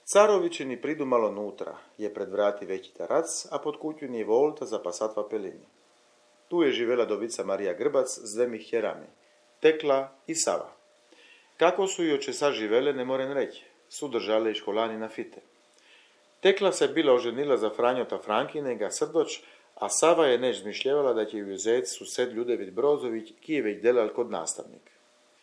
Carovičini pridu malo nutra, je pred vrati veći tarac, a pod kuću je volta za pasatva pelini. Tu je živela dovica Marija Grbac s dvemi hjerami, Tekla i Sava. Kako su i oče sa živele, ne moren reći, su držale i školani na fite. Tekla se bila oženila za Franjota Frankinega Srdoč, a Sava je neć zmišljevala da će ju uzeti sused Ljudevit Brozović, ki je već delal kod nastavnik.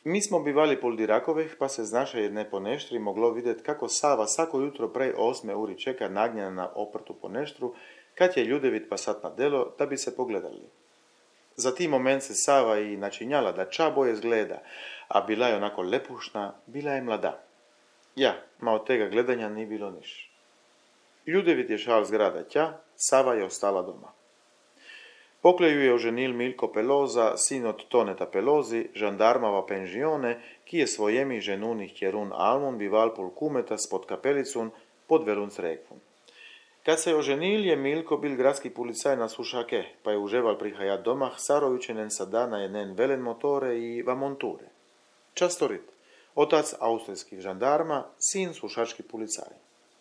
Mi smo bivali pol Dirakovih, pa se z naše jedne poneštri moglo vidjeti kako Sava svako jutro prej 8 uri čeka nagnjena na oprtu poneštru, kad je Ljudevit pasat na delo, da bi se pogledali. Za ti moment se Sava i načinjala da čaboje zgleda, a bila je onako lepušna, bila je mlada. Ja, ma od tega gledanja ni bilo niš. Ljudevit je šal zgrada tja, Sava je ostala doma. Pokle ju je oženil Milko Peloza, sin od Toneta Pelozi, žandarmava penžione, ki je svojemi ženunih Kjerun Almun bival pol kumeta spod kapelicun pod Verunc Rekvun. Kad se je oženil, je Milko bil gradski policaj na Sušake, pa je uževal prihajat domah Sarovičenen sada na jeden velen motore i va monture. Častorit, otac austrijskih žandarma, sin sušački policaj.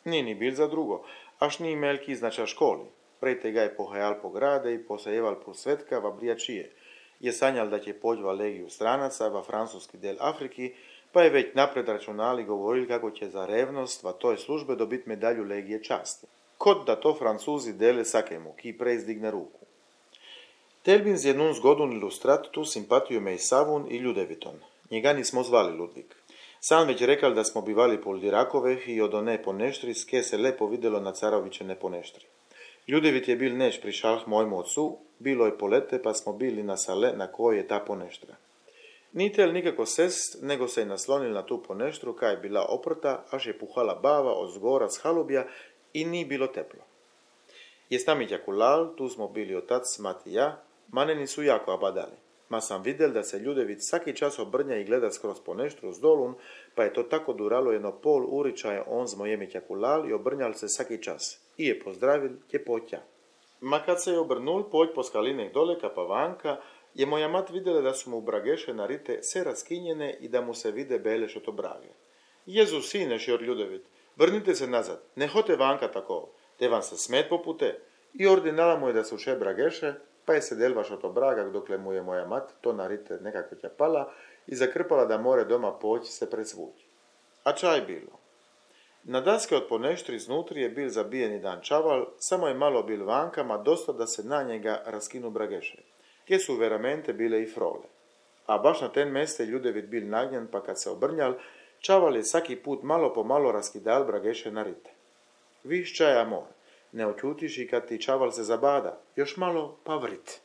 Ni bil za drugo, až ni imel ki znača školi. Prej tega je pohajal po grade i posajeval po svetka va brijačije. Je sanjal da će poći va legiju stranaca va francuski del Afriki, pa je već napred računali govorili kako će za revnost va toj službe dobiti medalju legije časti. Kod da to Francuzi dele sakemu, ki prej zdigne ruku. Telbin z jednun zgodun ilustrat tu simpatiju me i Savun i Ljudeviton. Njega nismo zvali Ludvik. Sam već rekal da smo bivali pol Dirakoveh i od one poneštri ske se lepo vidjelo na Carovičene poneštri. Ljudevit je bil neć pri šalh mojmu ocu, bilo je polete pa smo bili na sale na kojoj je ta poneštra. Ni tel nikako sest, nego se je naslonil na tu poneštru kaj je bila oprta, až je puhala bava od zgora s halubja i ni bilo teplo. Je s nami kulal, tu smo bili otac, mati i ja, maneni su jako abadali. Ma sam vidjel da se Ljudevit svaki čas obrnja i gleda skroz poneštru s dolun, pa je to tako duralo jedno pol uričaje on z mojemi kulal i obrnjal se svaki čas. I je pozdravil, je potja. Ma kad se je obrnul, poć po skalinek dole ka pa vanka, je moja mat vidjela da su mu brageše narite se raskinjene i da mu se vide bele šoto brage. Jezu sine, šjor Ljudevit, vrnite se nazad, ne hote vanka tako, te vam se smet popute. I ordinala mu je da su še brageše, pa je sedel vaš oto bragak dokle mu je moja mat to narite nekako ćapala i zakrpala da more doma poći se presvući. A čaj bilo. Na daske od poneštri znutri je bil zabijeni dan čaval, samo je malo bil vankama, dosta da se na njega raskinu brageše. Kje su veramente bile i frole. A baš na ten meste Ljudevit bil nagnjen, pa kad se obrnjal, čaval je svaki put malo po malo raskidal brageše na rite. Viš čaj amor, ne očutiš i kad ti čaval se zabada, još malo pa vrit.